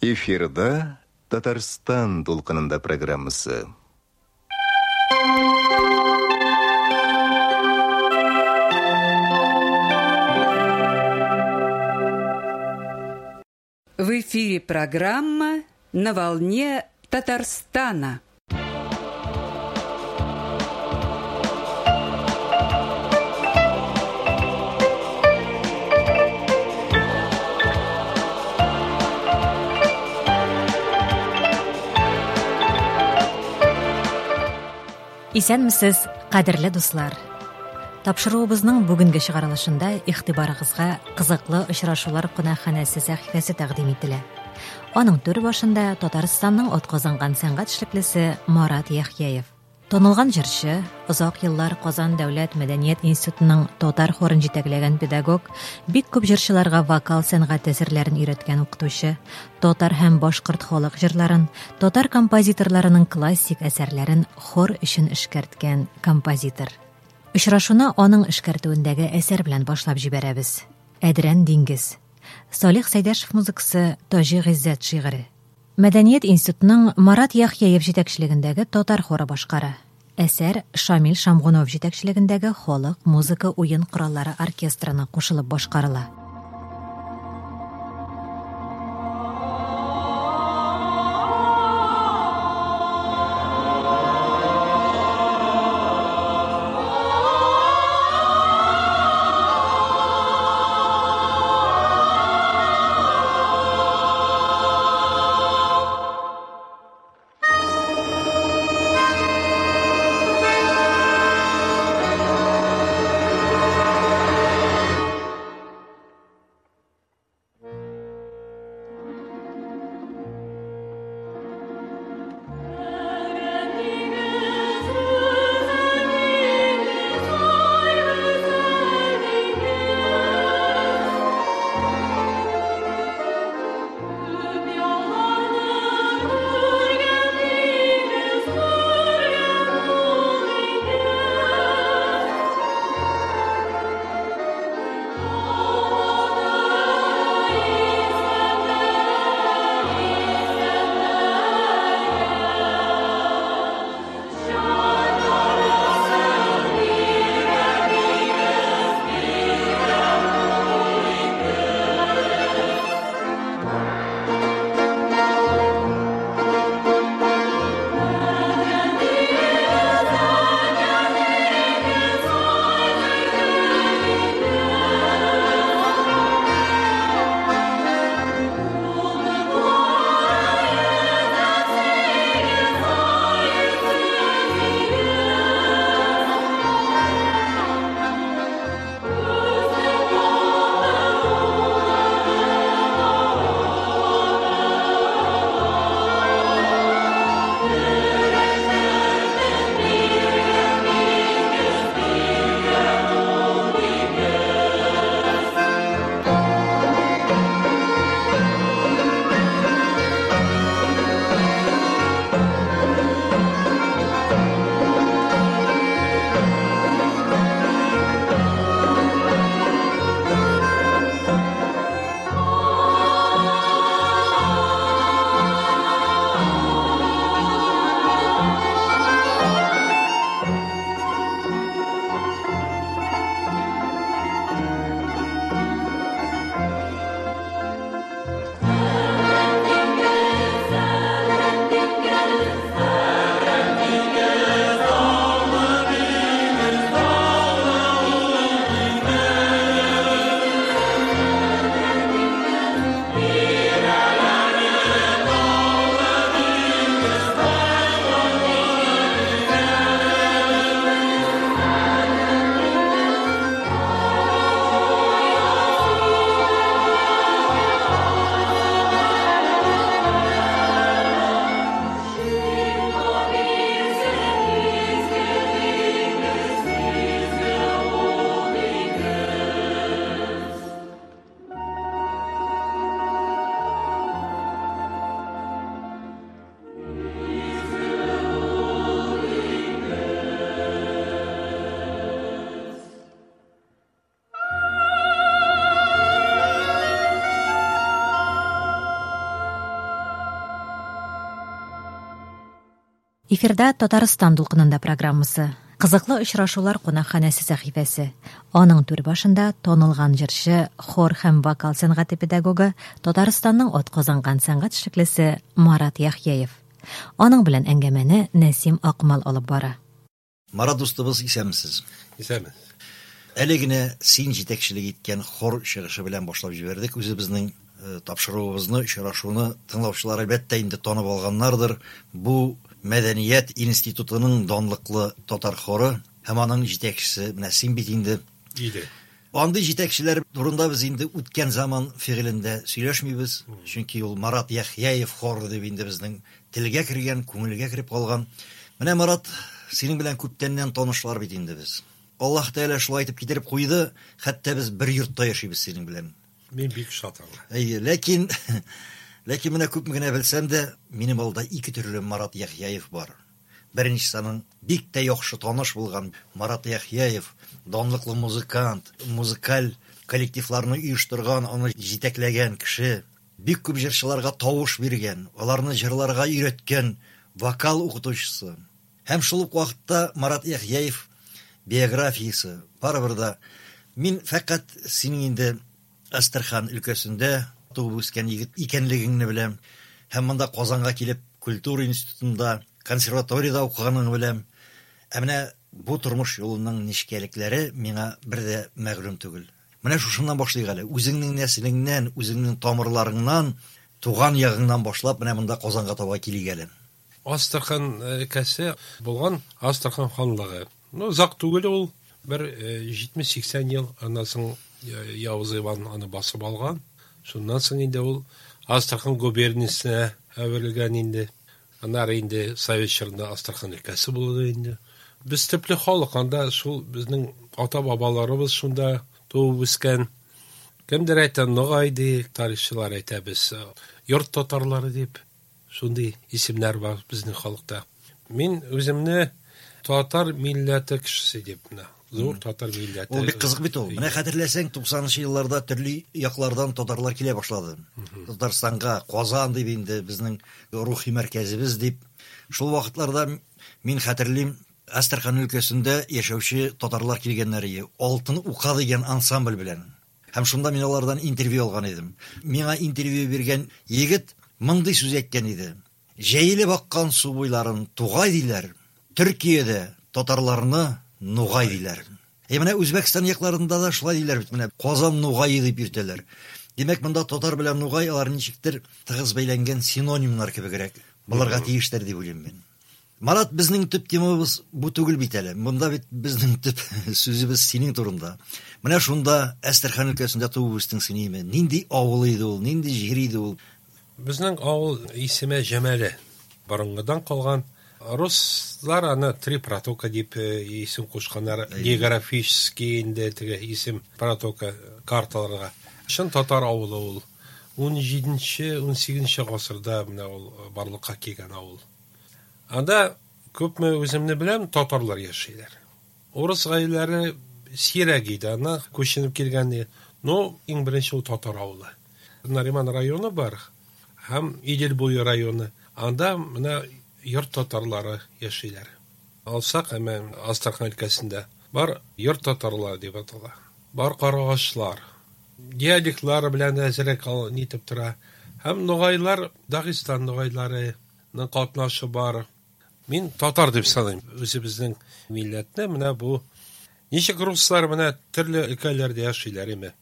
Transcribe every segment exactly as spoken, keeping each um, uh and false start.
Эфирда Татарстан дулкынында программасы. В эфире программа «На волне Татарстана». Исәнмесез, кадерле дуслар. Тапшыруыбызның бүгенге чыгарылышында игътибарыгызга кызыклы очрашулар кунакханәсе сәхифәсе тәкъдим ителә. Аның түр башында Татарстанның атказанган сәнгать эшлеклесе Марат Яхъяев. Танылган җырчы, озак еллар Казан дәүләт мәдәният институтының татар хорын җитәкләгән педагог, бик күп җырчыларга вокал сәнгате серләрен өйрәткән укытучы, татар һәм башкорт халык җырларын, татар композиторларының классик әсәрләрен хор өчен эшкәрткән композитор. Очрашуны аның эшкәртүендәге әсәр белән башлап җибәрәбез. Әдрән диңгез. Салих Сәйдәшев музыкасы, Таҗи Гыйззәт шигыре. Мәдәният институтының Марат Яхъяев җитәкчелегендәге татар хоры башкара. Әсәр Шамил Шамгунов җитәкчелегендәге халык музыка уен кораллары оркестрына кушылып башкарыла. Эфирда Татарстан дулкынында программасы. Кызыклы очрашулар кунакханәсе сәхифәсе. Аның түр башында танылган җырчы, хор һәм вокал сәнгате педагогы, Татарстанның атказанган сәнгать эшлеклесе Марат Яхъяев. Аның белән әңгәмәне Нәсим Акмал алып бара. Марат дустыбыз, исәнмесез? Исәнмесез. Әле генә син җитәкчелек иткән хор чыгышы белән башлап җибәрдек үзебезнең тапшыруыбызны, очрашуны тыңлаучылар әлбәттә инде танып алганнардыр. Бу Мәдәният институтының данлыклы татар хоры һәм аның җитәкчесе менә син бит инде. Иде. Андый җитәкчеләр турында без инде үткән заман фигылендә сөйләшмибез, чөнки ул Марат Яхъяев хоры дип инде безнең телгә кергән, күңелгә кереп калган. Менә Марат, синең белән күптәннән танышлар бит инде без. Аллаһ Тәгалә шулай итеп китереп куйды, хәтта без бер йортта яшибез синең белән. Мин бик шат аңа. Әйе, ләкин ләкин менә күпме генә белсәм дә, минем алда ике төрле Марат Яхъяев бар. Беренчесе аның бик тә яхшы таныш булган Марат Яхъяев, данлыклы музыкант, музыкаль коллективларны оештырган, аны җитәкләгән кеше, бик күп җырчыларга тавыш биргән, аларны җырларга өйрәткән вокал укытучысы. Һәм шул ук вакытта Марат Яхъяев биографиясе барыбер дә мин фәкать синең инде Әстерхан өлкәсендә туып үскән егет икәнлегеңне беләм. Һәм монда Казанга килеп культура институтында, консерваториядә укыганыңны беләм. Ә менә бу тормыш юлының нечкәлекләре миңа бер дә мәгълүм түгел. Менә шушыннан башлыйк әле. Үзеңнең нәселеңнән, үзеңнең тамырларыңнан, туган ягыңнан башлап менә монда Казанга таба килик әле. Астрахань өлкәсе булган Астрахань ханлыгы. Ну, озак түгел ул, бер җитмеш-сиксән ел, аннан соң Явыз Иван аны басып алган. Шуннан соң инде ул Астрахань губерниясенә әверелгән инде. Аннары инде Совет чорында Астрахань өлкәсе булды инде. Без төпле халык, анда шул безнең ата-бабаларыбыз шунда туып үскән. Кемдер әйтә Ногай ди, тарихчылар әйтә без йорт татарлары дип. Шундый исемнәр бар безнең халыкта. Мин үземне татар милләте кешесе дип менә. Зур татар милләте. Ул бик кызык бит ул. Менә хәтерләсәң, туксанынчы елларда төрле яклардан татарлар килә башлады. Татарстанга, Казан дип инде безнең рухи мәркәзебез дип. Шул вакытларда мин хәтерлим, Әстерхан өлкәсендә яшәүче татарлар килгәннәр иде. Алтын ука дигән ансамбль белән. Һәм шунда мин алардан интервью алган идем. Миңа интервью биргән егет мондый сүз әйткән иде. Җәелеп аккан су буйларын тугай диләр. Төркиядә татарларны Нугай диләр. Ә менә Үзбәкстан якларында да шулай диләр бит, менә Казан Нугае дип йөртәләр. Димәк, монда татар белән нугай алар ничектер тыгыз бәйләнгән синонимнар кебегрәк булырга тиештер дип уйлыйм мин. Марат, безнең төп темабыз бу түгел бит әле. Монда бит безнең төп сүзебез синең турында. Менә шунда Әстерхан өлкәсендә туып үстең син, име? Нинди авыл иде ул, нинди җир иде ул? Безнең авыл исеме Җәмәле. Борынгыдан калган. Руслар аны три протока дип исем кушканнар, географический инде теге исем протока карталарга. Чын татар авылы ул. Ун җиденче, ун сигезенче гасырда менә ул барлыкка килгән авыл. Анда күпме үземне беләм, татарлар яшиләр. Урыс гаиләләре сирәк иде, анда күченеп килгән. Но иң беренче ул татар авылы. Нариман районы бар һәм Идел буе районы. Анда менә йорт татарлары яшиләр. Алсак, әмма Астрахань өлкәсендә бар йорт татарлары дип атала. Бар карагачлар. Диалектлары белән әзрәк нитеп тора. Һәм ногайлар, Дагыстан ногайларының катнашы бар. Мин татар дип саныйм үзебезнең милләтне. Менә бу ничек руслар менә төрле өлкәләрдә яшиләр име?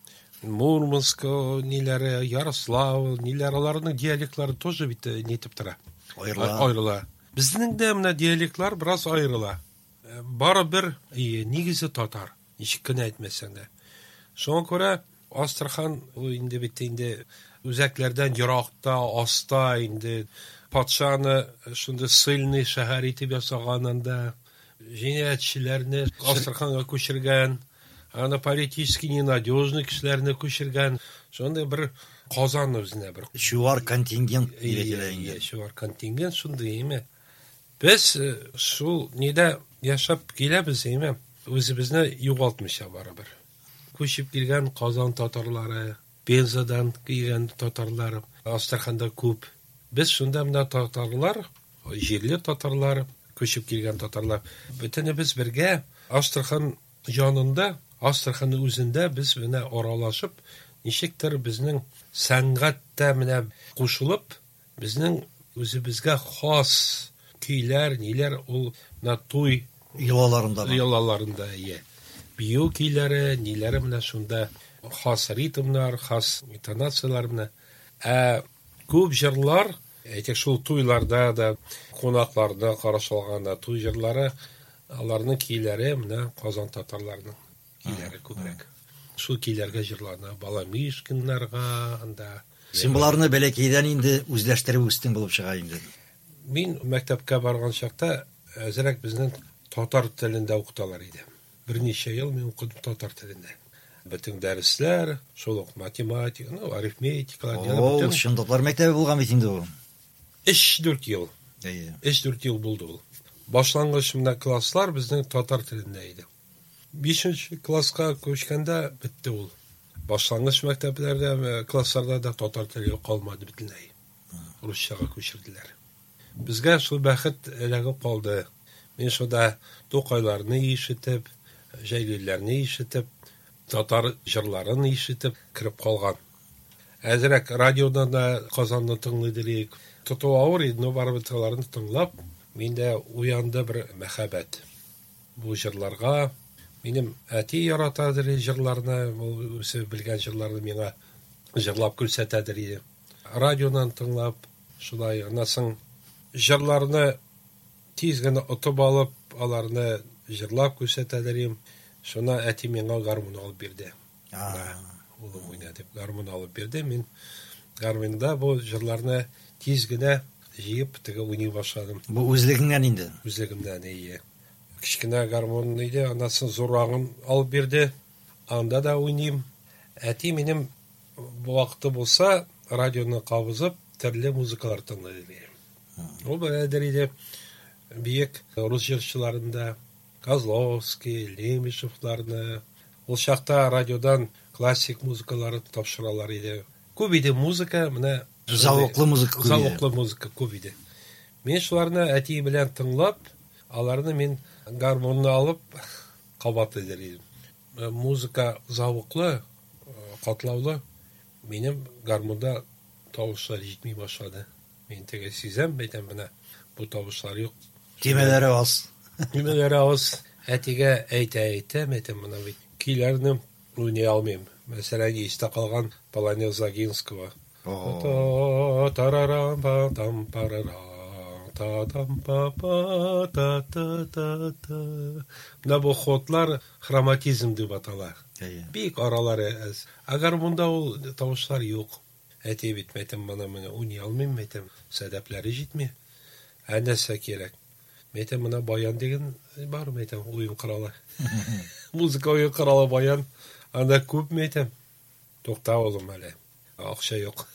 Мурманск ниләре, Ярославль ниләре, аларның диалектлары тоже бит нитеп тора. Аерыла. Аерыла. Безнең дә менә диалектлар бераз аерыла. Барыбер нигезе татар, ничек кенә әйтмәсәң дә. Шуңа күрә Астрахань ул инде бит инде үзәкләрдән еракта, аста инде патшаны шундый сыльный шәһәр итеп ясаган анда, җинаятьчеләрне Астраханга күчергән, аны политически ненадежный кешеләрне күчергән. Шундый бер Казан үзенә бер чуар контингент дип әйтелә инде. Чуар контингент шундый име. Без шул нидә яшәп киләбез име, үзебезне югалтмыйча барыбер. Күчеп килгән Казан татарлары, Пензадан килгән татарлар, Астраханда күп. Без шунда менә татарлар, җирле татарлар, Күчеп килгән татарлар. Бөтенебез бергә Астрахань янында, Астраханның үзендә без менә аралашып, ничектер безнең сәнгатьтә менә кушылып, безнең үзебезгә хас көйләр, ниләр ул менә туй йолаларында, йолаларында ие. Бию көйләре, ниләре менә шунда хас ритмнар, хас интонацияләр менә. Ә күп җырлар, әйтик, шул туйларда да, кунакларда карашылганда туй җырлары, аларның көйләре менә Казан татарларының көйләре күбрәк. Шул көйләргә җырлана, Баламишкиннарга анда. Син боларны бәләкәйдән инде үзләштереп үстең булып чыга инде. Мин мәктәпкә барган чакта әзрәк безнең татар телендә укыталар иде. Берничә ел мин укыдым татар телендә. Бөтен дәресләр, шул ук математика, ну, арифметикалар, бөтен. Чын татар мәктәбе булган бит инде ул. Өч-дүрт ел. Әйе. Өч-дүрт ел булды ул. Башлангыч менә класслар безнең татар телендә иде. Бишенче класска күчкәндә бетте ул. Башлангыч мәктәпләрдә, классларда да татар теле калмады бөтенләй. Русчага күчерделәр. Безгә шул бәхет эләгеп калды. Мин шунда Тукайларны ишетеп, Җәлилләрне ишетеп, татар җырларын ишетеп кереп калган. Әзрәк радиодан да Казанны тыңлый идек. Тоту авыр иде, но барыбер аларны тыңлап, миндә уянды бер мәхәббәт. Бу җырларга минем әти яратадыр җырларны, ул үзе белгән җырларны миңа җырлап күрсәтәдер иде. Радионан тыңлап, шулай аннан соң җырларны тиз генә отып алып, аларны җырлап күрсәтәдер идем. Шуна әти миңа гармун алып бирде. Улым уйна дип гармун алып бирде. Мин гармунда бу җырларны тиз генә җыеп теге уйный башладым. Бу үзлегеңнән инде. Үзлегемнән, әйе. Кечкенә гармун иде, аннан соң зуррагын алып бирде. Анда да уйныйм. Әти минем бу вакыты булса, радионы кабызып, төрле музыкалар тыңлый иде. Ул беләдер иде бөек рус җырчыларында Козловский, Лемешевларны. Ул чакта радиодан классик музыкалары тапшыралар иде. Күп иде музыка, менә завыклы музыка күп иде. Завыклы музыка күп иде. Мин шуларны әти белән тыңлап, аларны мин гармунны алып кабатлый идем. Музыка завыклы, катлаулы. Минем гармунда тавышлар җитми башлады. Мин теге сизәм, әйтәм, менә бу тавышлар юк. Төймәләре аз. Төймәләре аз. Әтигә әйтә, әйтәм, әйтәм, менә бит көйләрне уйный алмыйм. Мәсәлән, истә калган Полонез Огинского. Та тарарам па там парара та там па па та та та та. Менә бу ходлар хроматизм дип атала. Бик аралары әз. Ә гармунда ул тавышлар юк. Әти бит, әйтәм, менә менә уйный алмыйм, әйтәм, сәдәпләре җитми. Ә нәрсә кирәк? Әйтәм, менә баян дигән бар, әйтәм, уен коралы. Музыка уен коралы баян. Анда күп, әйтәм. Тукта, улым, әле. Акча юк.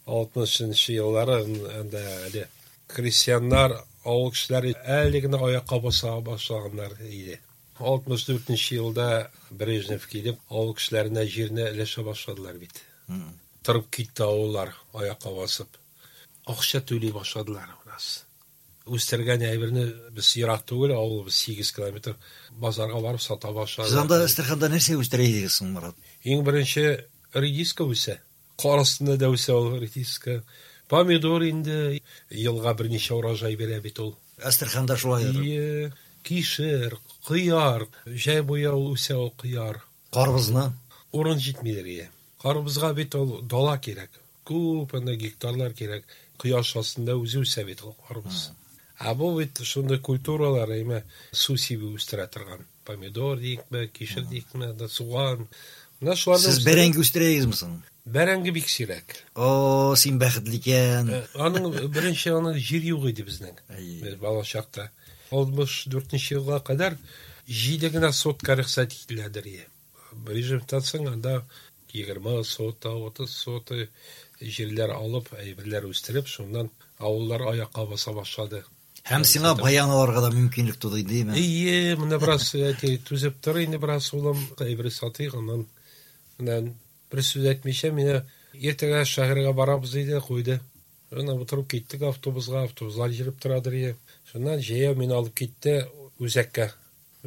Алтмышынчы еллары анда әле крестьяннар, авыл кешеләре әле генә аякка баса башлаганнар иде. Алтмыш дүртенче елда Брежнев килеп, авыл кешеләренә җирне өләшә башладылар бит. Торып китте авыллар аякка басып. Акча түли башладылар бераз. Үстергән әйберне без ерак түгел, авыл сигез километр базарга барып сата башладык. Сез анда Әстерханда нәрсә үстерә идегез соң, Марат? Иң беренче редиска үсә. Кар астында да үсә ул редиска. Помидор инде елга берничә урожай бирә бит ул. Әстерханда шулайдыр. Ие, кишер, кыяр, җәй буе ул үсә ул кыяр. Карбызны? Урын җитмидер ие. Карбызга бит ул дала кирәк. Күп анда гектарлар кирәк. Кояш астында үзе үсә бит ул карбыз. Ә бу бит шундый культуралар, әйме, су сибеп үстерә торган. Помидор дикме, кишер дикме, да суган. Менә шуларны. Сез бәрәңге үстерәсезме соң? Бәрәңге бик сирәк. О, син бәхетле икән. Аның беренче аның җир юк иде безнең. Без бала чакта. Алтмыш дүртенче елга кадәр җиде генә сотка рөхсәт ителәдер ие. Режимтан соң анда егерме сота, утыз сота җирләр алып, әйберләр үстереп, шуннан авыллар аякка баса башлады. Һәм сиңа баян алырга да мөмкинлек туды, димме? Ие, менә бераз әти түзеп тор инде бераз, улым, әйбер сатыйк, аннан менә бер сүз әйтмичә, мине иртәгә шәһәргә барабыз диде, куйды. Менә утырып киттек автобусга, автобуслар йөреп торадыр иде. Шуннан җәяү мине алып китте үзәккә.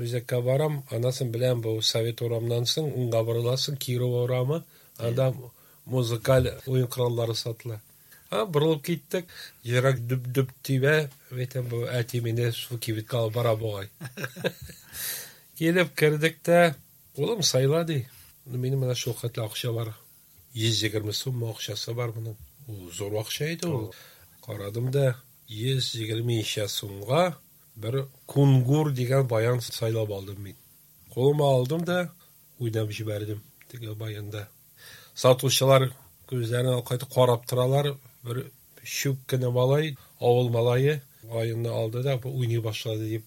Үзәккә барам, анасын белән бу Совет урамыннан соң уңга борыласың, Кирова урамы, анда музыкаль уен кораллары сатыла. А, борылып киттек, йөрәк дөп-дөп тибә, әйтәм, бу әти мине шул кибеткә алып бара бугай. Килеп кердек тә, улым сайла ди. Минем менә шул хәтле акча бар. Йөз егерме сум акчасы бар моның. Ул зур акча иде ул. Карадым да, йөз егерме ничә сумга бер кунгур дигән баян сайлап алдым мин. Кулыма алдым да, уйнап җибәрдем теге баянда. Сатучылар күзләрен кайтып карап торалар. Бер чүп кенә малай, авыл малае баянны алды да, бу уйный башлады дип.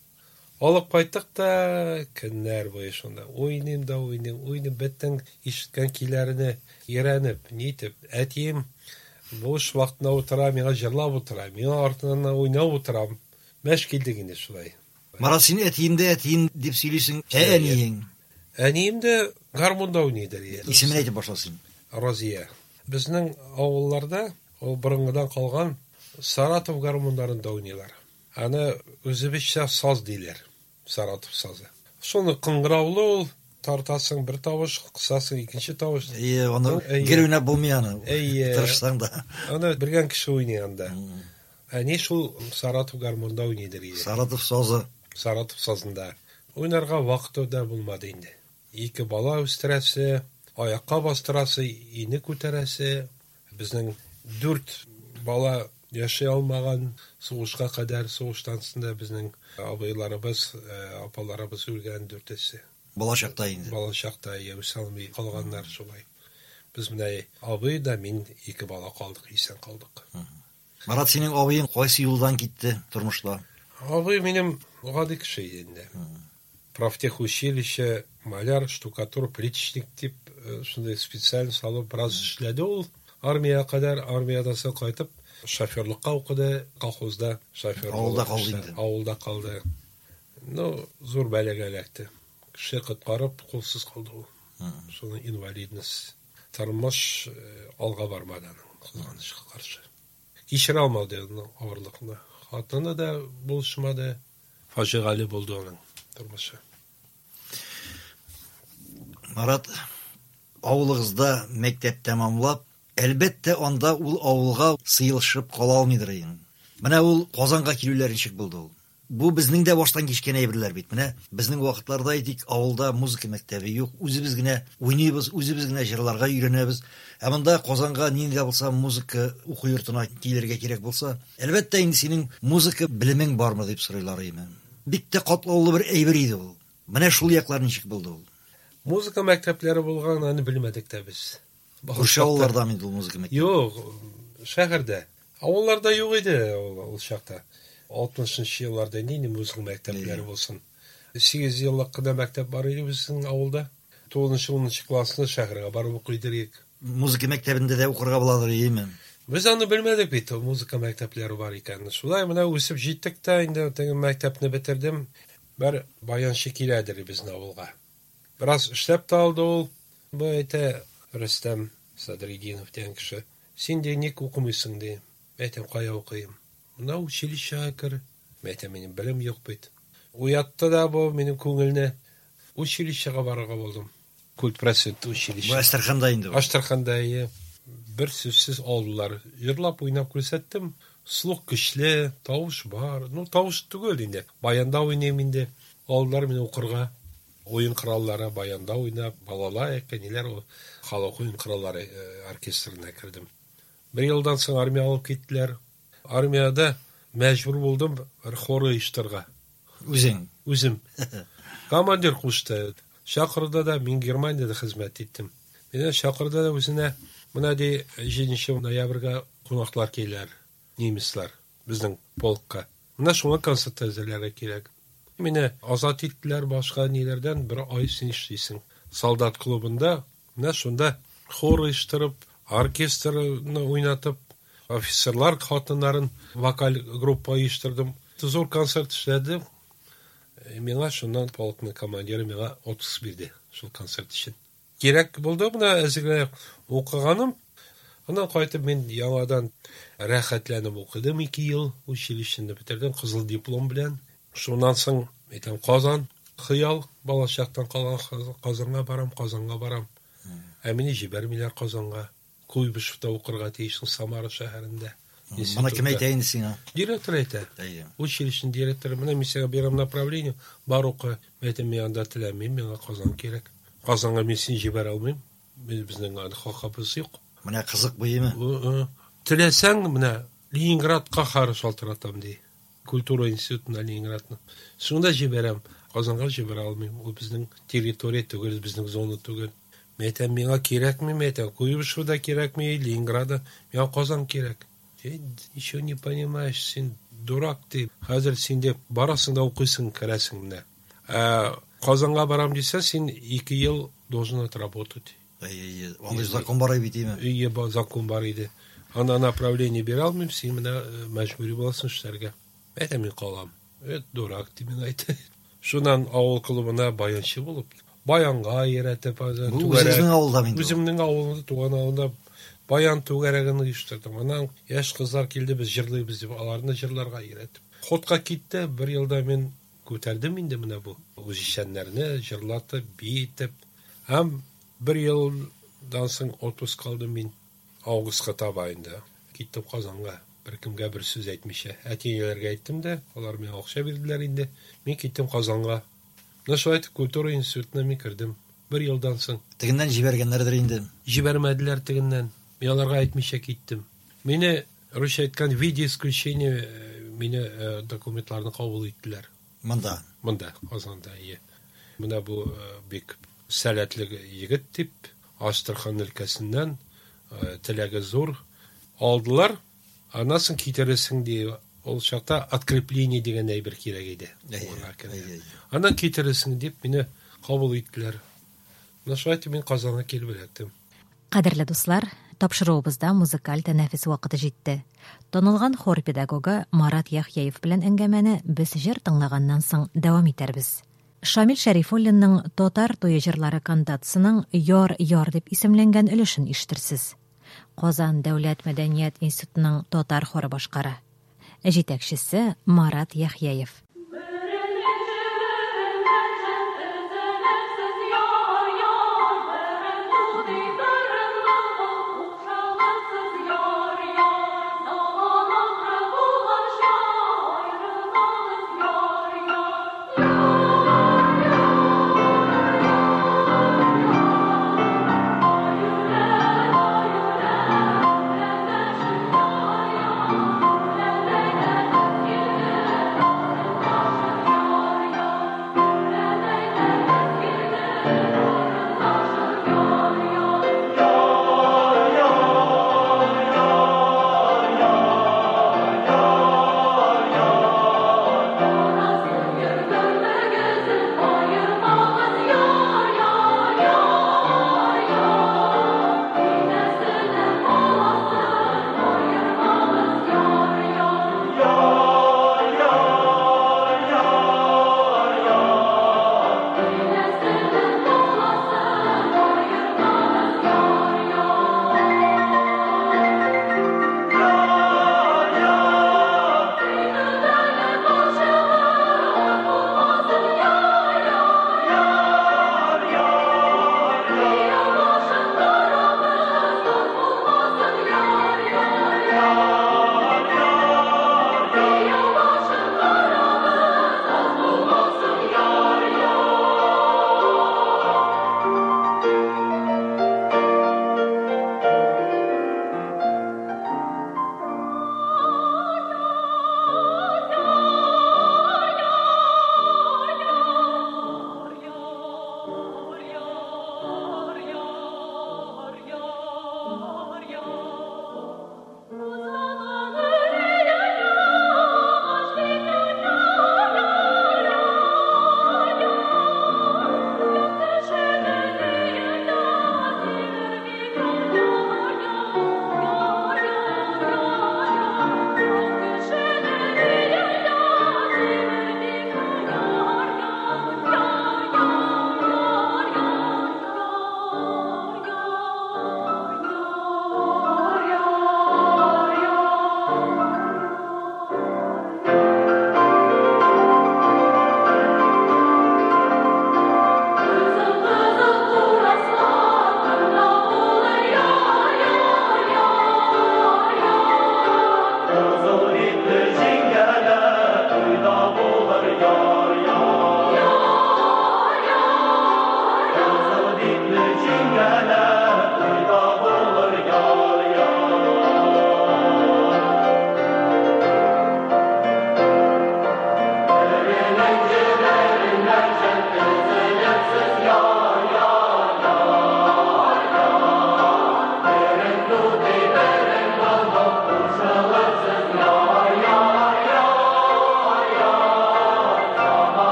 Алып кайттык та, көннәр буе шунда. Уйныйм да уйныйм, уйныйм, бөтен ишеткән көйләрне өйрәнеп, нитеп. Әтием буш вакытында утыра, миңа җырлап утыра, миңа артыннан уйнап утырам. Мәш килдек инде шулай. Марат, син әтием дә әтием дип сөйлисең, ә әниең? Әнием дә гармунда уйныйдыр. Исемен әйтеп башла син. Розия. Безнең авылларда ул борынгыдан калган Саратов гармуннарында уйныйлар. Аны үзебезчә саз диләр. Саратов сазы. Шуны кыңгыраулы ул, тартасың бер тавыш, кысасың икенче тавыш. Әйе, аны Әйе. гел уйнап булмый аны. Әйе. Тырышсаң да. Аны белгән кеше уйный анда. Әни шул Саратов гармунда уйныйдыр иде. Саратов сазы. Саратов сазында. Уйнарга вакыты да булмады инде. Ике бала үстерәсе, аякка бастырасы, ине күтәрәсе. Безнең дүрт бала яши алмаган сугышка кадәр, сугыштан соң да безнең абыйларыбыз, э, апаларыбыз үлгән дүртесе. Бала чакта инде. Бала чакта үсә алмый калганнар шулай. Без менә абый да мин ике бала калдык, исән калдык. Марат, синең абыең кайсы юлдан китте тормышта? Абый минем гади кеше иде инде. Профтехучилище, маляр, штукатур, плиточник дип, э, шундый специальность алып бераз эшләде ул. Армиягә кадәр, армиядан соң кайтып, шоферлыкка укыды, колхозда шофер Авылда булып калды эшләде. инде. Авылда калды. Ну, зур бәлагә эләкте. Кеше коткарып, кулсыз калды ул. Шуның инвалидность. Тормыш, э, алга бармады аның, кызганычка каршы. Кичерә алмады аның авырлыкны. Хатыны да булышмады. Фаҗигале булды аның тормышы. Марат, авылыгызда мәктәп тәмамлап, әлбәттә, анда ул авылга сыелышып кала алмыйдыр инде. Менә ул Казанга килүләр ничек булды ул? Бу безнең дә баштан кичкән әйберләр бит. Менә безнең вакытларда әйтик, авылда музыка мәктәбе юк, үзебез генә уйныйбыз, үзебез генә җырларга өйрәнәбез. Ә монда Казанга нинди дә булса музыка уку йортына килергә кирәк булса, әлбәттә инде синең музыка белемең бармы дип сорыйлар иде. Бик тә катлаулы бер әйбер иде ул. Менә шул яклар ничек булды ул? Музыка мәктәпләре булган, аны белмәдек тә без. Күрше авылларда инде ул музыка мәктәбе. Юк, шәһәрдә. Авылларда юк иде ул, ул чакта. Алтмышынчы елларда нинди музыка мәктәпләре булсын. Сигез еллык кына мәктәп бар иде безнең авылда. Тугызынчы, унынчы классны шәһәргә барып укый идек. Музыка мәктәбендә дә укырга буладыр, әйеме? Без аны белмәдек бит, ул музыка мәктәпләре бар икәнен. Шулай менә үсеп җиттек тә, инде теге мәктәпне бетердем. Бер баянчы киләдер безнең авылга. Бераз эшләп тә алды ул. Бу әйтә Рөстәм Садретдинов дигән кеше. Син дә ник укымыйсың ди. Әйтәм, кая укыйм? Менә училищега кер. Әйтәм, минем белем юк бит. Уятты да бу минем күңелне. Училищега барырга булдым. Культпросвет училище. Бу Әстерханда инде бу. Әстерханда, әйе. Бер сүзсез алдылар. Җырлап уйнап күрсәттем. Слух көчле, тавыш бар. Ну, тавыш түгел инде. Баянда уйныйм инде. Алдылар мине укырга. Уен кораллары баянда уйнап, балалайка, ниләр ул халык уен кораллары, э, оркестрына кердем. Бер елдан соң армия алып киттеләр. Армиядә мәҗбүр булдым бер хор оештырырга. Үзең? Үзем. Командир кушты. Чакырды да, мин Германиядә хезмәт иттем. Мине чакырды да үзенә, менә ди, җиденче ноябрьгә кунаклар киләр, немецлар, безнең полкка. Менә шуңа концерт әзерләргә кирәк. Мине азат иттеләр башка ниләрдән, бер ай син эшлисең. Солдат клубында, менә шунда хор оештырып, оркестрны уйнатып, офицерлар хатыннарын вокаль группа оештырдым. Зур концерт эшләдем. Миңа шуннан полкның командиры миңа отпуск бирде шул концерт өчен. Кирәк булды менә әзерләп укыганым. Аннан кайтып мин яңадан рәхәтләнеп укыдым ике ел, училищены бетердем кызыл диплом белән. Шуннан соң әйтәм Казан, хыял, балачактан калган Казанга барам, Казанга барам. Ә мине җибәрмиләр Казанга. Куйбышевта укырга тиешсең Самара шәһәрендә. Моны кем әйтә инде сиңа? Директор әйтә. Училищеның директоры, менә мин сиңа бирәм направление, бар укы. Мин әйтәм, мин анда теләмим, миңа Казан кирәк. Казанга мин сине җибәрә алмыйм. Безнең анда хакыбыз юк. Менә кызык бу, әйеме? Теләсәң, менә Ленинградка хары шалтыратам ди. Культура институтына Ленинградны. Шунда җибәрәм. Казанга җибәрә алмыйм. Ул безнең территория түгел, безнең зона түгел. Мин әйтәм, миңа кирәкми, мин әйтәм, Куйбышево да кирәкми, Ленинграда, миңа Казан кирәк. Ты ничего не понимаешь, син дурак ты. Хәзер син дип барасың да укыйсың, керәсең менә. Ә Казанга барам дисәң, син ике ел должен отработать. Әй, андый закон бар бит, әйеме? Әйе, закон бар иде. Анда направление бирә алмыйм, син менә мәҗбүри буласың эшләргә. Әйтәм, мин калам. Эт дурак дип мин әйтә. Шуннан авыл клубына баянчы булып, баянга йөрәтеп, үземнең авылда мин. Үземнең авылымда, туган авылымда баян түгәрәген оештырдым. Аннан яшь кызлар килде, без җырлыйбыз дип, аларны җырларга өйрәтеп. Ходка китте, бер елда мин күтәрдем инде менә бу үзешчәннәрне җырлатып, биетеп. Һәм бер елдан соң отпуск алдым мин. Августка таба инде. Киттем Казанга. Бер кемгә бер сүз әйтмичә. Әти-әниләргә әйттем дә, алар миңа акча бирделәр инде. Мин киттем Казанга. Менә шулай итеп культура институтына мин кердем. Бер елдан соң. Тегеннән җибәргәннәрдер инде. Җибәрмәделәр тегеннән. Мин аларга әйтмичә киттем. Мине, русча әйткән, в виде исключения мине документларны кабул иттеләр. Монда. Монда, Казанда, ие. Менә бу бик сәләтле егет дип, Астрахань өлкәсеннән теләге зур алдылар. Аннан соң китерерсең ди. Ул чакта открепление дигән әйбер кирәк иде. Аннан китерерсең дип мине кабул иттеләр. Менә шулай итеп мин Казанга килеп эләктем. Кадерле дуслар, тапшыруыбызда музыкаль тәнәфес вакыты җитте. Танылган хор педагогы Марат Яхъяев белән әңгәмәне без җыр тыңлаганнан соң дәвам итәрбез. Шамил Шәрифуллинның Татар туе җырлары кантатасының Яр яр дип исемләнгән өлешен ишетерсез. Казан дәүләт мәдәният институтының татар хоры башкара. Җитәкчесе Марат Яхъяев. Yeah.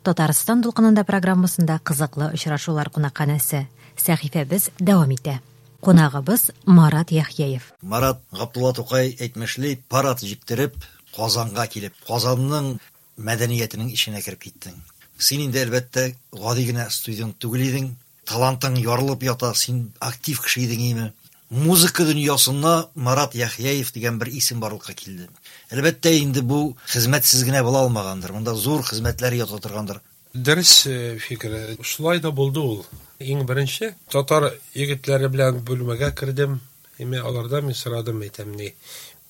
Татарстан дулкынында программасында кызыклы очрашулар кунакханәсе. Сәхифәбез дәвам итә. Кунагыбыз Марат Яхъяев. Марат Габдулла Тукай әйтмешли, парад җиктереп Казанга килеп, Казанның мәдәниятенең эченә кереп киттең. Син инде әлбәттә гади генә студент түгел идең, талантың ярылып ята, син актив кеше идең име? Музыка дөньясына Марат Яхъяев дигән бер исем барлыкка килде. Әлбәттә инде бу хезмәтсез генә була алмагандыр. Монда зур хезмәтләр ята торгандыр. Дөрес фикер. Шулай да булды ул. Иң беренче татар егетләре белән бүлмәгә кердем. Эме алардан мин сорадым, әйтәм, ни,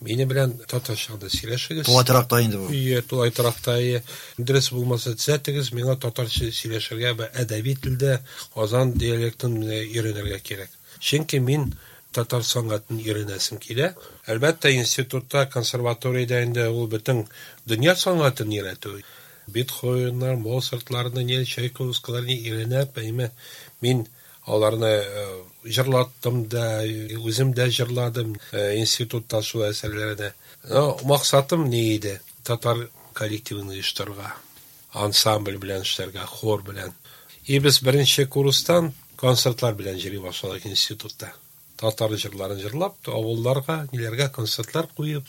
мине белән татарча да сөйләшегез. Тулай торакта инде бу. Ие, тулай торакта, ие. Дөрес булмаса төзәтегез, миңа татарча сөйләшергә бә әдәби телдә Казан диалектын өйрәнергә кирәк. Чөнки мин татар сәнгатен өйрәнәсем килә. Әлбәттә, институтта, консерваториядә инде ул бөтен дөнья сәнгатен өйрәтү. Бетховеннар, Моцартларны, не, Чайковскийларны өйрәнеп, әйме, мин аларны җырлаттым да, үзем дә җырладым институтта шул әсәрләрне. Максатым ни иде? Татар коллективын оештырырга, ансамбль белән эшләргә, хор белән. И без беренче курстан концертлар белән йөри башладык институтта. Татар җырларын җырлап, авылларга, ниләргә концертлар куеп,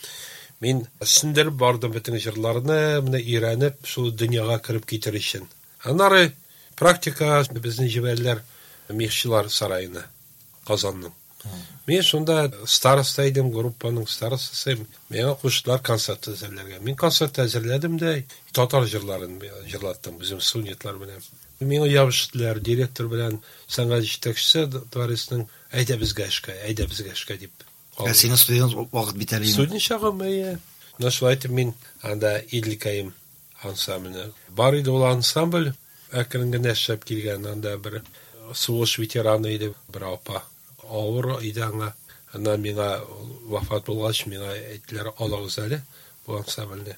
мин сеңдереп бардым бөтен җырларны, менә өйрәнеп, шул дөньяга кереп китер өчен. Аннары практика безне җибәрделәр Мехчылар сараена, Казанның. Мин шунда староста идем, группаның старостасы. Миңа куштылар концерт әзерләргә. Мин концерт әзерләдем дә, татар җырларын җырлаттым, үзем студентлар белән. Миңа ябыштылар, директор белән сәнгать җитәкчесе дворецның, әйдә безгә эшкә, әйдә безгә эшкә дип. Ә синең студент вакыт бит әле. Студент чагым, әйе. Менә шулай итеп мин анда Иделкәем ансамбле. Бар иде ул ансамбль, әкрен генә эшләп килгән, анда бер сугыш ветераны иде, бер апа. Авыр иде аңа. Аннан миңа вафат булгач, миңа әйттеләр, алыгыз әле бу ансамбльне.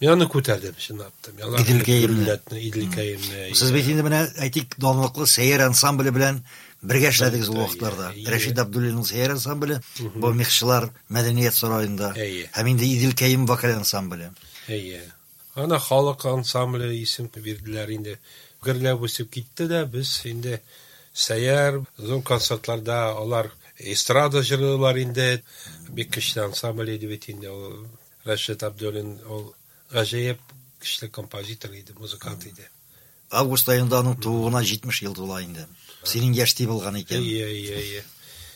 Мин аны күтәрдем, чынлап та. Мин аларны Иделкәемне. Иделкәемне. Сез бит инде менә, әйтик, данлыклы Сәйяр ансамбле белән бергә эшләдегез ул вакытларда. Рәшид Абдуллинның Сәйяр ансамбле, бу Мехчылар мәдәният сараенда. Һәм инде Иделкәем вокаль ансамбле. Әйе. Ана халык ансамбле исем бирделәр инде. Гөрләп үсеп китте дә, без инде Сәйяр зур концертларда алар эстрада җырлыйлар инде. Бик көчле ансамбль иде бит инде ул. Рәшид Абдуллин ул гаҗәеп көчле композитор иде, музыкант иде. Август аенда аның тууына җитмеш ел тула инде. Синең яшьти булган икән. Әйе, әйе, әйе.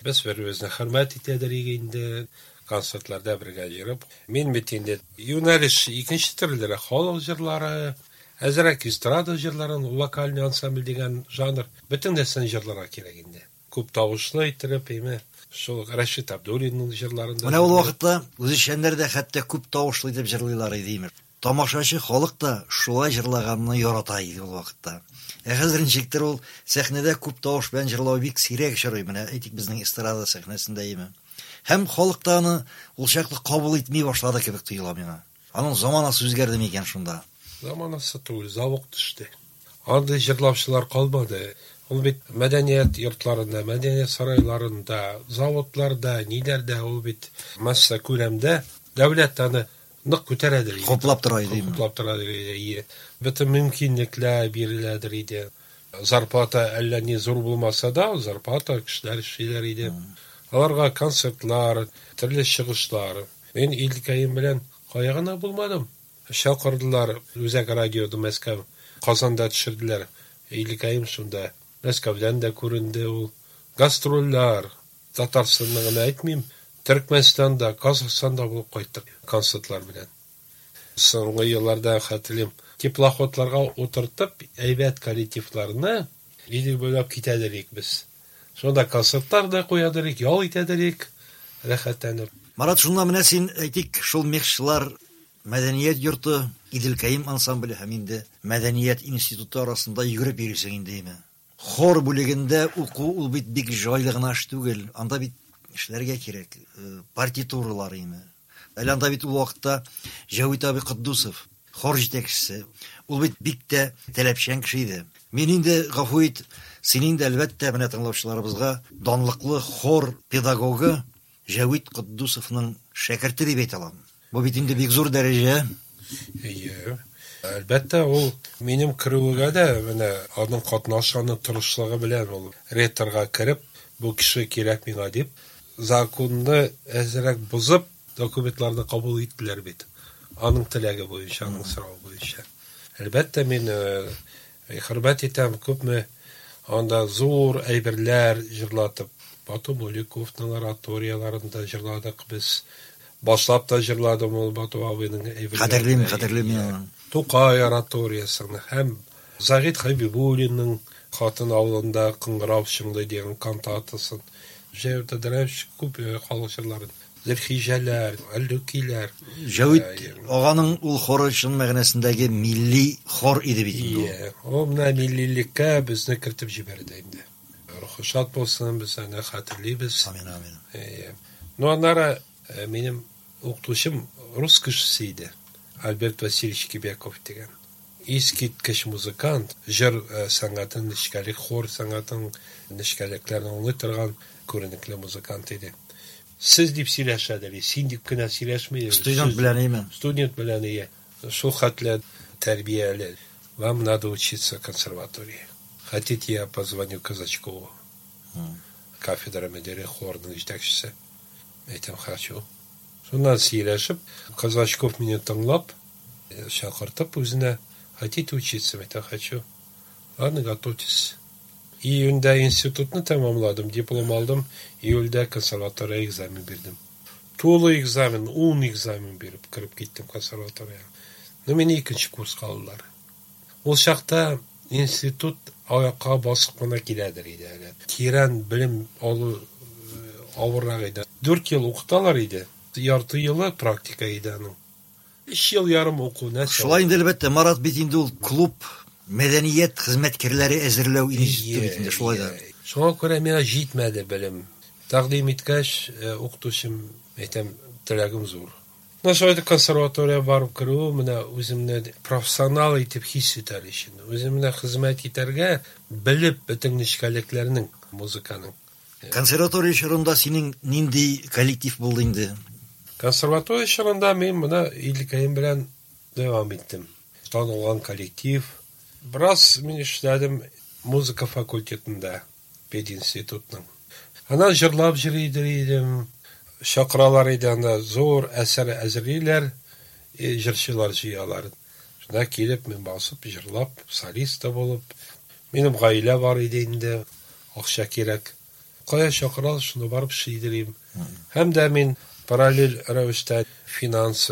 Без бер-беребезне хөрмәт итәдер инде, концертларда бергә йөреп. Мин бит инде юнәлеш икенче төрле халык җырлары, әзрәк эстрада җырларын, вокальный ансамбль дигән жанр, бөтен нәрсәне җырларга кирәк инде. Күп тавышлы иттереп, әйме, шул Рәшид Абдуллинның җырларын да. Менә ул вакытта үзешчәннәр дә хәтта күп тавышлы итеп җырлыйлар иде, имеш. Тамашачы халык та шулай җырлаганны ярата иде ул вакытта. Ә хәзер ничектер ул сәхнәдә күп тавыш белән җырлау бик сирәк очрый, менә әйтик безнең эстрада сәхнәсендә име. Һәм халык та аны ул чаклы кабул итми башлады кебек тоела миңа. Аның заманасы үзгәрде микән шунда? Заманасы түгел, завык төште. Андый җырлаучылар калмады. Ул бит мәдәният йортларында, мәдәният сарайларында, заводларда, ниләрдә ул бит масса күләмдә дәүләт аны нык күтәрәдер иде. Хуплап тора иде. Хуплап тора иде. Бөтен мөмкинлекләр биреләдер иде. Зарплата әллә ни зур булмаса да, зарплата кешеләр эшлиләр иде. Аларга концертлар, төрле чыгышлар. Мин Иделкәем белән кая гына булмадым. Чакырдылар Үзәк радиода Мәскәү, Казанда төшерделәр. Иделкәем шунда. Мәскәүдән дә күренде ул. Гастрольләр, Татарстанны гына әйтмим, Төркмәнстанда, Казахстанда булып кайттык концертлар белән. Соңгы елларда хәтерлим, теплоходларга утыртып, әйбәт коллективларны Идел буйлап китәдер идек без. Шунда концертлар да куядыр идек, ял итәдер идек, рәхәтләнеп. Марат, шунда менә син әйтик, шул Мехчылар мәдәният йорты, Иделкәем ансамбле һәм инде мәдәният институты арасында йөгереп йөрисең инде, әйме? Хор бүлегендә уку ул бит бик җайлы гына эш түгел. Анда бит эшләргә кирәк, партитуралар име. Әле анда бит ул вакытта Җәвит абый Котдусов, хор җитәкчесе, ул бит бик тә таләпчән кеше иде. Мин инде, гафу ит, син инде әлбәттә менә тыңлаучыларыбызга данлыклы хор педагогы Җәвит Котдусовның шәкерте дип әйтә алам. Бу бит инде бик зур дәрәҗә. Әйе. Әлбәттә, ул минем керүгә дә менә аның катнашы, аның тырышлыгы белән ул ректорга кереп, бу кеше кирәк миңа дип, законны әзрәк бозып, документларны кабул иттеләр бит. Аның теләге буенча, аның соравы буенча. Әлбәттә, мин хөрмәт итәм, күпме анда зур әйберләр җырлатып, Бату Мулюковның ораторияларын да җырладык без. Башлап та җырладым ул Бату абыйның әйберләрен. Хәтерлим, хәтерлим мин аны. Тукай ораториясын һәм Загит Хәбибуллинның Хатын авылында кыңгырау чыңлый дигән кантатасын. Җәүдәт Әдрәмович күп халык җырларын. Зөлхиҗәләр, Әллүкиләр. Җәвит аганың ул хоры чын мәгънәсендәге милли хор иде бит инде ул. Ул менә миллилеккә безне кертеп җибәрде инде. Рухы шат булсын, без аны хәтерлибез. Амин, амин. Ну, аннары минем укытучым рус кешесе иде. Альберт Васильевич Кибяков дигән. Искиткеч музыкант, җыр сәнгатен, нечкәлек, хор сәнгатен нечкәлекләрен аңлый торган күренекле музыкант иде. Сез дип сөйләшәдер, син дип кенә сөйләшми. Студент белән име? Студент белән ие. Шул хәтле тәрбияле. Вам надо учиться в консерватории. Хотите, я позвоню Казачкову. Кафедра мөдире, хорның җитәкчесе. Әйтәм, хочу. Шуннан сөйләшеп, Казачков мине тыңлап, чакыртып үзенә, хотите учиться? Әйтәм, хочу. Ладно, готовьтесь. Июньдә институтны тәмамладым, диплом алдым, июльдә консерватория экзамен бирдем. Тулы экзамен, ун экзамен биреп кереп киттем консерваторияга. Но мине икенче курска алдылар. Ул чакта институт аякка басып кына киләдер иде әле. Тирән белем алу авыррак иде. Дүрт ел укыталар иде. Ярты елы практика иде аның. Өч ел ярым уку нәрсә. Шулай инде, әлбәттә, Марат бит инде ул клуб мәдәният хезмәткәрләре әзерләү институты бит инде шулай да. Шуңа күрә миңа җитмәде белем. Тәкъдим иткәч, укытучым, әйтәм, теләгем зур. Менә шулай итеп консерватория барып керү, менә үземне профессионал итеп хис итәр өчен, үземне хезмәт итәргә белеп бөтен нечкәлекләрнең, музыканың. Консерватория чорында синең нинди коллектив булды инде? Консерватория чорында мин менә Илкәем белән дәвам иттем. Танылган коллектив. Бераз мин эшләдем музыка факультетында, пединститутның. Аннан җырлап йөри идем. Чакыралар иде анда, зур әсәр әзерлиләр, җырчылар җыялар. Шунда килеп мин басып, җырлап, солист та булып. Минем гаилә бар иде инде, акча кирәк. Кая чакыралар, шунда барып эшлидерим. Һәм дә мин параллель рәвештә финанс,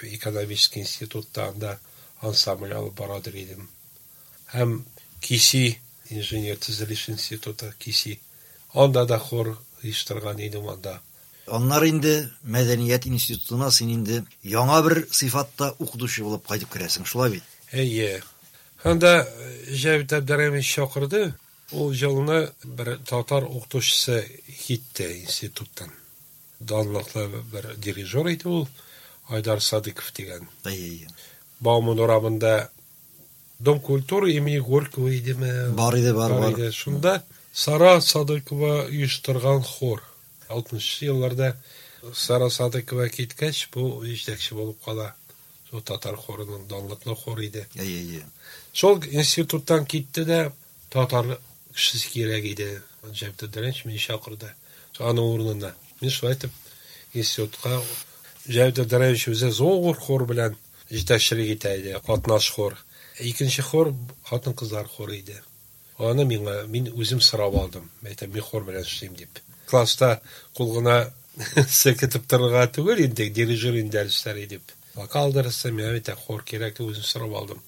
экономический институтта анда ансамбль алып барадыр идем. Һәм КИСИ, инженер төзелеш институты, КИСИ. Анда да хор оештырган идем анда. Аннары инде мәдәният институтына син инде яңа бер сыйфатта укытучы булып кайтып керәсең, шулай бит? Әйе. Анда Җәвит Әбдерәмович чакырды. Ул елны бер татар укытучысы китте институттан. Данлыклы бер дирижер иде ул, Айдар Садыков дигән. Әйе. Бауман урамында Дом культуры имени Горького идеме? Бар иде, бар, бар. Иде. Шунда Сара Садыкова оештырган хор. Алтмышынчы елларда Сара Садыкова киткәч, бу җитәкче булып кала. Шул татар хорының данлыклы хор иде. Әйе, әйе. Шул институттан китте дә татар кешесе кирәк иде. Җәвит Әбдерәмович мине чакырды. Аның урынына. Мин шулай итеп институтка Җәвит Әбдерәмович үзе зур хор белән җитәкчелек итә иде, катнаш хор. Икенче хор хатын-кызлар хоры иде. Аны миңа мин үзем сорап алдым. Әйтәм, мин хор белән эшлим дип. Класста кул гына селкетеп торырга түгел инде, дирижер инде дәресләре дип. Вокал дәресе, миңа бит хор кирәк дип үзем сорап алдым.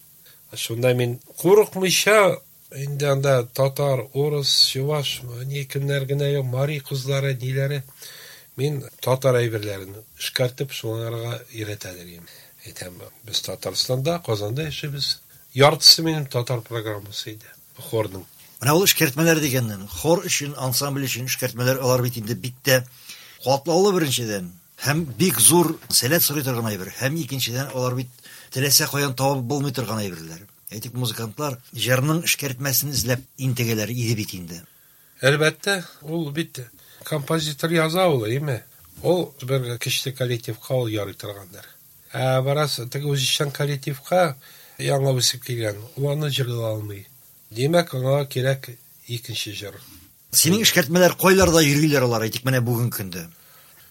Шунда мин курыкмыйча инде анда татар, урыс, чуваш, ни кемнәр генә юк, мари кызлары, ниләре. Мин татар әйберләрен эшкәртеп шуларга өйрәтәдер идем. Әйтәм, без Татарстанда, Казанда яшибез. Яртысы минем татар программасы иде хорның. Менә ул эшкәртмәләр дигәннән, хор өчен, ансамбль өчен эшкәртмәләр алар бит инде бик тә катлаулы беренчедән, һәм бик зур сәләт сорый торган әйбер, һәм икенчедән алар бит теләсә каян табып булмый торган әйберләр. Әйтик, музыкантлар җырның эшкәртмәсен эзләп интегәләр иде бит инде. Әлбәттә, ул бит композитор яза ул, әйме? Ул бер кече коллективка ул ярый торгандыр. Ә бераз теге үзешчән коллективка яңа үсеп килгән, ул аны җырлый алмый. Димәк, аңа кирәк икенче җыр. Синең эшкәртмәләр кайларда йөриләр алар, әйтик менә бүгенге көндә?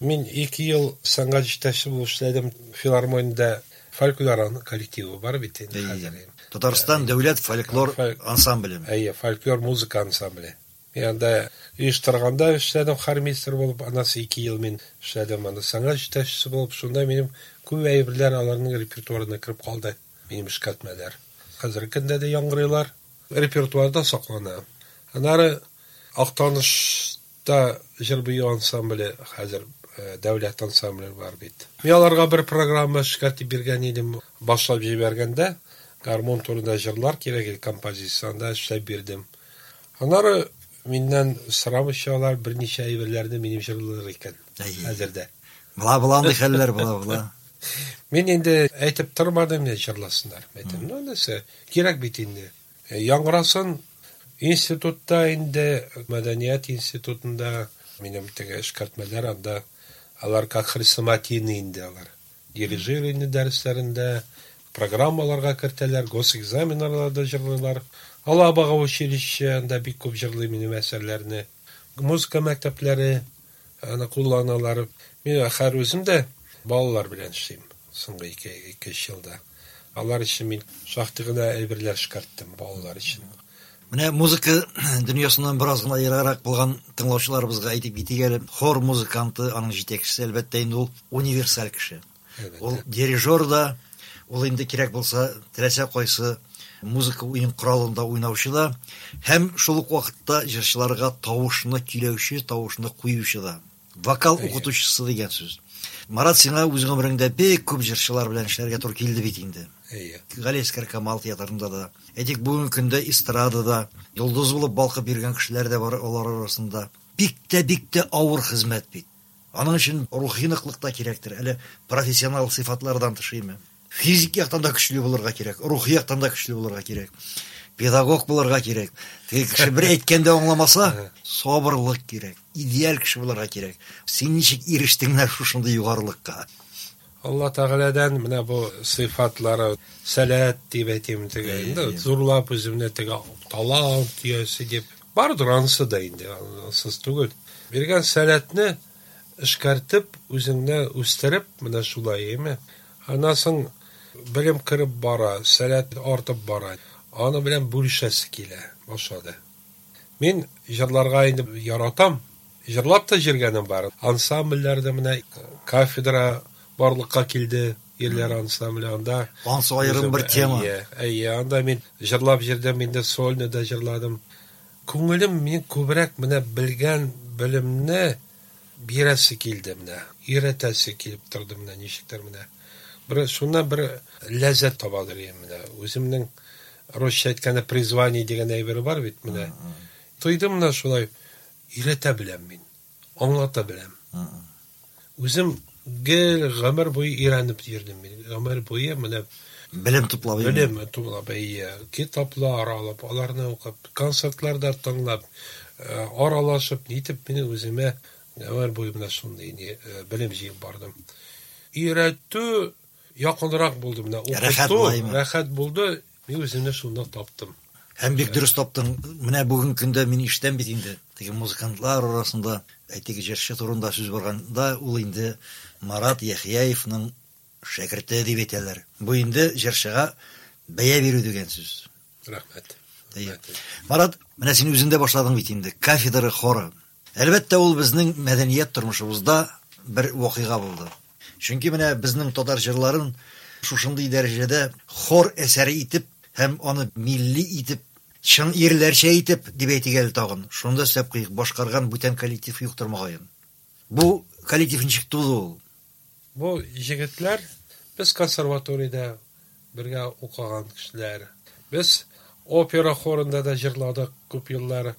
Мин ике ел сәнгать җитәкчесе булып эшләдем филармониядә. Фольклор коллективы бар бит инде хәзер. Татарстан дәүләт фольклор ансамбле. Әйе, фольклор музыка ансамбле. Мин анда оештырганда эшләдем, хормейстер булып, анасы ике ел мин эшләдем, анда сәнгать җитәкчесе булып, шунда минем күп әйберләр аларның репертуарына кереп калды. Минем эшкәртмәләр. Хәзерге көндә дә яңгырыйлар, репертуарда саклана. Аннары Актанышта җыр-бию ансамбле хәзер дәүләт ансамбле бар бит. Мин аларга бер программа эшкәртеп биргән идем, башлап җибәргәндә гармун турында җырлар кирәк иде, композиция анда эшләп бирдем. Аннары миннән сорамыйча алар берничә әйберләрне минем җырлар икән хәзердә. Була була андый хәлләр, була була. Мин инде әйтеп тормадым, не җырласыннар. Әйтем, ну нәрсә, кирәк бит инде. Яңгырасын институтта инде, мәдәният институтында минем теге эшкәртмәләр анда алар как хрестоматийный инде алар. Дирижирование дәресләрендә программаларга кертәләр, госэкзаменнарда җырлыйлар. Алабага училище анда бик күп җырлый минем әсәрләрне. Музыка мәктәпләре аны кулланалар. Мин хәзер үзем дә балалар белән эшлим соңгы ике, ике елда. Алар өчен мин шактый гына әйберләр эшкәрттем балалар өчен. Менә музыка дөньясыннан бераз гына ераграк булган тыңлаучыларыбызга әйтеп китик әле. Хор музыканты, аның җитәкчесе, әлбәттә инде ул универсаль кеше. Ул дирижер да, ул инде кирәк булса, теләсә кайсы музыка уен коралында уйнаучы да, һәм шул ук вакытта җырчыларга тавышны көйләүче, тавышны куючы да. Вокал укытучысы дигән сүз. Марат, сиңа үз гомереңдә бик күп җырчылар белән эшләргә туры килде бит инде. Әйе. Галиәсгар Камал театрында да, әйтик, бүгенге көндә эстрадада йолдыз булып балкып йөргән кешеләр дә бар алар арасында. Бик тә, бик тә авыр хезмәт бит. Аның өчен рухи ныклык та кирәктер, әле профессионал сыйфатлардан тыш име. Физик яктан да көчле булырга кирәк, рухи яктан да көчле булырга кирәк. Педагог булырга кирәк. Теге кеше бер әйткәндә аңламаса, сабырлык кирәк, идеаль кеше булырга кирәк. Син ничек ирештең менә шушындый югарылыкка? Алла Тәгаләдән менә бу сыйфатлары, сәләт дип әйтим теге, инде зурлап үземне теге талант иясе дип. Бардыр анысы да инде, ансыз түгел. Биргән сәләтне эшкәртеп, үзеңне үстереп, менә шулай, әйме? Аннан соң белем кереп бара, сәләт артып бара. Аны белән бүлешәсе килә башлады. Мин җырларга инде яратам. Җырлап та җырганым бар. Ансамбльләрдә менә кафедра барлыкка килде, ирләр ансамбле анда. Ансы аерым бер тема. Әйе, әйе, анда мин җырлап җырдым, инде сольно да җырладым. Күңелем мин күбрәк менә белгән белемне бирәсе килде менә, өйрәтәсе килеп торды менә ничектер менә. Бер шуннан бер ләззәт табадыр идем менә. Үземнең русча әйткәндә призвание дигән әйбер бар бит менә. Тойдым менә шулай өйрәтә беләм мин, аңлата беләм. Үзем гел гомер буе өйрәнеп йөрдем мин. Гомер буе менә белем туплап, белем туплап, әйе, китаплар алып, аларны укып, концертларда тыңлап, аралашып, нитеп мин үземә гомер буе менә шундый белем җыеп бардым. Өйрәтү якынрак булды менә, укыту рәхәт булды. Мин үземне шунда таптым. Һәм бик дөрес таптың. Менә бүгенге көндә мин ишетәм бит инде. Теге музыкантлар арасында, әйтик, җырчы турында сүз барганда, ул инде Марат Яхъяевның шәкерте дип әйтәләр. Бу инде җырчыга бәя бирү дигән сүз. Рәхмәт. Марат, менә син үзең дә башладың бит инде кафедра хоры. Әлбәттә, ул безнең мәдәният тормышыбызда бер вакыйга булды. Чөнки менә безнең татар җырларын шушындый дәрәҗәдә хор әсәре итеп һәм аны милли итеп, чын ирләрчә итеп дип әйтик әле тагын. Шунда өстәп куйык, башкарган бүтән коллектив юктыр мөгаен. Бу коллектив ничек туды ул? Бу егетләр без консерваториядә бергә укыган кешеләр. Без опера хорында да җырладык күп еллар.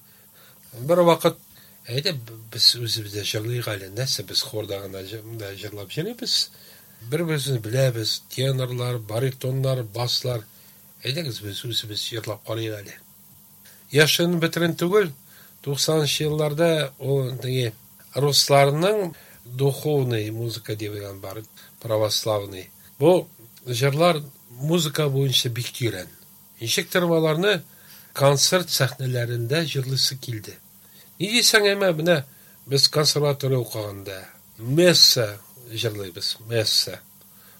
Бер вакыт әйдә без үзебез дә җырлыйк әле, нәрсә без хорда гына җырлап йөрибез. Бер-беребезне беләбез, тенорлар, баритоннар, баслар. Әйдәгез без үзебез җырлап карыйк әле. Яшен бетерен түгел, туксанынчы елларда ул теге русларның духовный музыка дигән бар, православный. Бу җырлар музыка буенча бик тирән. Ничектер аларны концерт сәхнәләрендә җырлыйсы килде. Ни дисәң, әмма менә без консерватория укыганда месса җырлыйбыз, месса.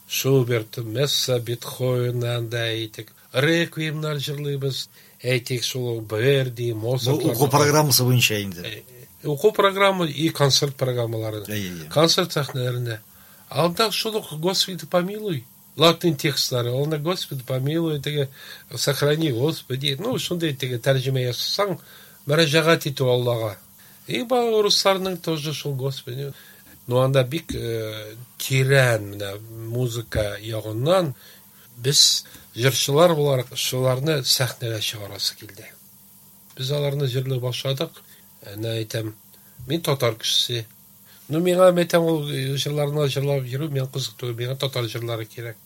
Шуберт, месса, Бетховен анда әйтик, реквиемнар җырлыйбыз, әйтик шул Верди, Моцарт. Бу уку программасы буенча инде. Уку программы и концерт программалары. Концерт сәхнәләрендә. Анда шул ук Господи помилуй, латин текстлары, анда Господи помилуй, теге сохрани Господи, ну шундый теге тәрҗемә ясасаң, мөрәҗәгать итү Аллага. И русларның тоже шул Господи. Ну анда бик тирән менә музыка ягыннан без җырчылар буларак шуларны сәхнәгә чыгарасы килде. Без аларны җырлый башладык. Әнә әйтәм, мин татар кешесе. Ну миңа әйтәм, ул җырларны җырлап йөрү миңа кызык түгел, миңа татар җырлары кирәк.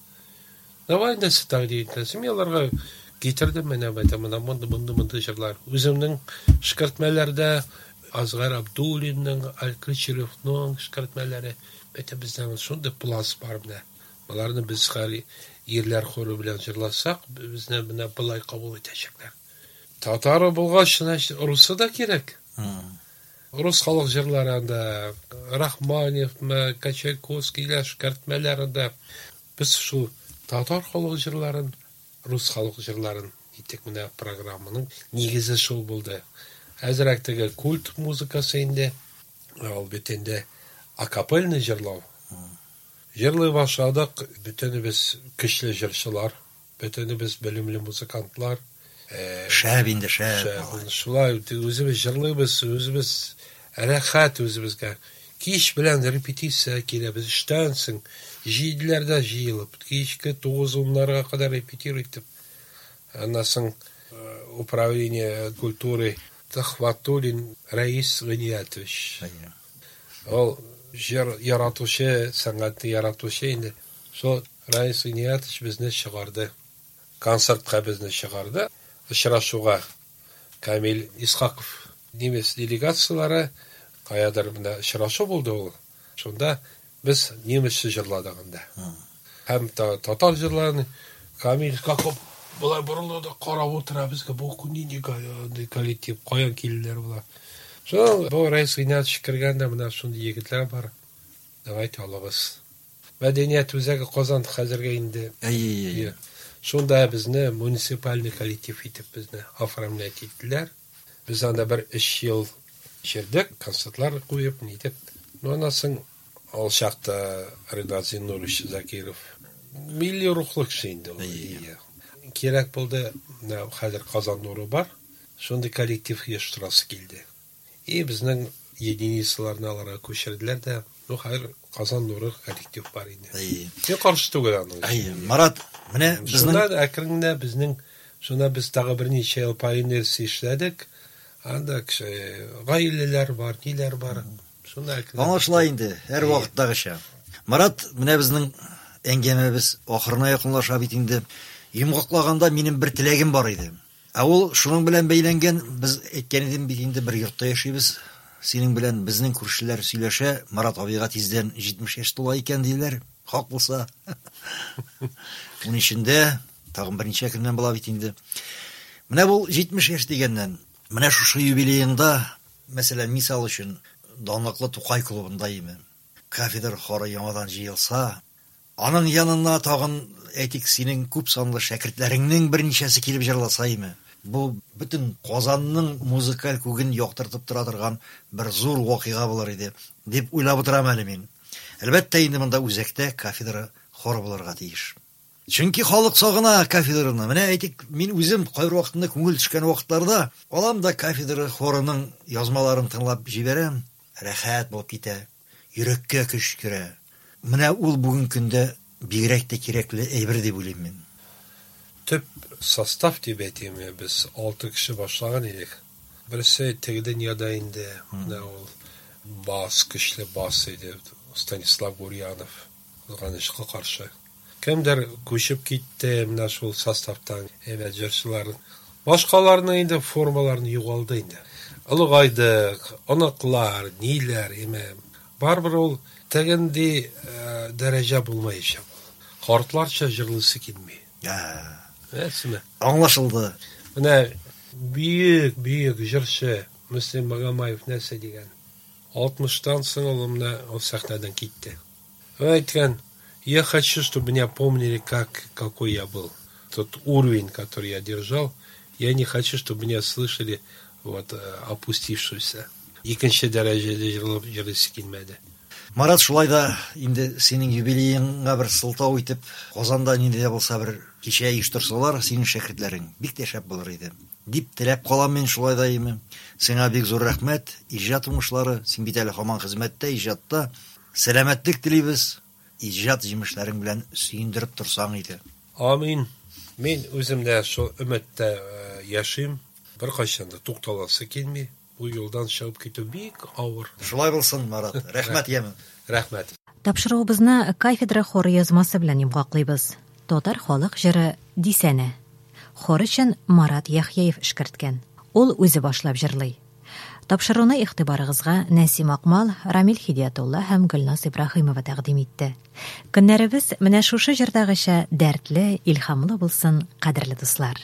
Давай инде тәкъдим итәсең. Мин аларга китердем, менә әйтәм, менә мондый, мондый, мондый җырлар. Үземнең шкертмәләрдә Азгар Абдуллинның, Алькричеревның шкертмәләре. Әйтәм, безнең шундый пласт бар менә. Аларны без хәл ирләр хоры белән җырласак, безне менә былай кабул итәчәкләр. Татары булгач, значит, русы да кирәк. Рус халык җырлары анда, Рахманинов, Чайковскийлар шкертмәләрендә. Без шул татар халык җырларын, рус халык җырларын итек менә программаның нигезе шул булды. Әзрәк теге культ музыкасы инде, ул бит инде акапельный җырлау. Җырлый башладык, бөтенебез көчле җырчылар, бөтенебез белемле музыкантлар. Шәп инде, шәп. Шулай үзебез җырлыйбыз, үзебез рәхәт үзебезгә. Кич белән репетиция киләбез, эштән соң җиделәрдә җыелып, кичке тугыз-уннарга кадәр репетировать итеп. Аннан соң управление культуры Төхвәтуллин Рәис Гыниятович. Ул җыр яратучы, сәнгатьне яратучы инде. Шул Рәис Гыниятович безне чыгарды. Концертка безне чыгарды. Очрашуга Камил Исхаков немец делегациялары каядыр менә очрашу булды ул. Шунда без немецчә җырладык анда. Һәм татар җырларын Камил Исхаков болай борылды да карап утыра безгә, бу нинди коллектив, каян килделәр болар. Шул бу Рәис Гыйниятович кергәндә менә шундый егетләр бар. Давайте алабыз. Мәдәният үзәге Казан хәзергә инде. Әйе, әйе. Шунда безне муниципальный коллектив итеп безне оформлять иттеләр. Без анда бер өч ел җырдык, концертлар куеп, нитеп. Ну, аннан соң ул чакта Ринат Зиннурович Закиров милли рухлы кеше инде ул. Кирәк булды, менә хәзер Казан нуры бар, шундый коллектив оештырасы килде. И безнең единицаларны аларга күчерделәр дә, ну хәзер Казан нуры коллектив бар инде. Әйе. Мин каршы түгел аның. Әйе, Марат, менә безнең Шуннан әкрен генә безнең, шунда без тагы берничә ел по инерции эшләдек. Анда кеше гаиләләр бар, ниләр бар. Шунда әкрен. Аңлашыла инде, һәр вакыттагыча. Марат, менә безнең әңгәмәбез ахырына якынлаша бит инде. Йомгаклаганда минем бер теләгем бар иде. Ә ул шуның белән бәйләнгән, без әйткән идем бит инде, бер йортта яшибез. Синең белән безнең күршеләр сөйләшә, Марат абыйга тиздән җитмеш яшь тула икән диләр. Хак булса. Уның эчендә тагын берничә көннән була бит инде. Менә бу җитмеш яшь дигәннән, менә шушы юбилееңда, мәсәлән, мисал өчен, данлыклы Тукай клубында име, кафедра хоры яңадан җыелса, аның янына тагын, әйтик, синең күп санлы шәкертләреңнең берничәсе килеп җырласа име, бу бөтен Казанның музыкаль күген яктыртып тора торган бер зур вакыйга булыр иде, дип уйлап утырам әле мин. Әлбәттә, инде монда үзәктә кафедра хоры булырга тиеш. Чөнки халык сагына кафедраны. Менә әйтик, мин үзем кайбер вакытында күңел төшкән вакытларда алам да кафедра хорының язмаларын тыңлап җибәрәм, рәхәт булып китә, йөрәккә көч керә. Менә ул бүген көндә бигрәк тә кирәкле әйбер дип уйлыйм мин. Төп состав дип әйтим, без алты кеше башлаган идек. Берсе теге дөньяда инде, менә ул бас, көчле бас иде, Станислав Гурьянов, кызганычка каршы. Кемдер күчеп китте менә шул составтан, әйбәт җырчылар. Башкаларның инде формаларын югалды инде. Олыгайдык, оныклар, ниләр, име. Барыбер ул тегенди дәрәҗә булмаячак. Картларча җырлыйсы килми. Әсме? Аңлашылды. Менә бөек, бөек җырчы Мөслим Магомаев нәрсә дигән? Алтмыштан соң ул менә ул сәхнәдән китте. Ул әйткән, я хочу, чтобы меня помнили, как, какой я был. Тот уровень, который я держал, я не хочу, чтобы меня слышали вот, опустившуюся. Икенче дәрәҗәдә җырлап җырлыйсы килмәде. Марат, шулай да инде синең юбилееңа бер сылтау итеп, Казанда нинди дә булса бер кичә оештырсалар, синең шәкертләрең бик тә шәп булыр иде. Дип теләп калам мин шулай да име. Сиңа бик зур рәхмәт, иҗат уңышлары, син бит әле һаман хезмәттә, иҗатта. Сәламәтлек телибез, иҗат җимешләрең белән сөендереп торсаң иде. Амин. Мин үзем дә шул өметтә яшим. Беркайчан да тукталасы килми. Бу юлдан чыгып китү бик авыр. Шулай булсын, Марат. Рәхмәт, яме. Рәхмәт. Тапшыруыбызны кафедра хоры язмасы белән йомгаклыйбыз. Татар халык җыры Дисәнә. Хор өчен Марат Яхъяев эшкәрткән. Ул үзе башлап җырлый. Тапшыруны игътибарыгызга Нәсим Акмал, Рамил Хидиятулла һәм Гөлназ Ибраһимова тәкъдим итте. Көннәребез менә шушы җырдагыча дәртле, илһамлы булсын, кадерле дуслар.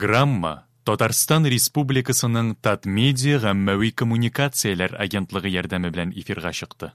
Программа Татарстан Республикасының Татмедиа гаммәви коммуникацияләр агентлыгы ярдәме белән эфирга чыкты.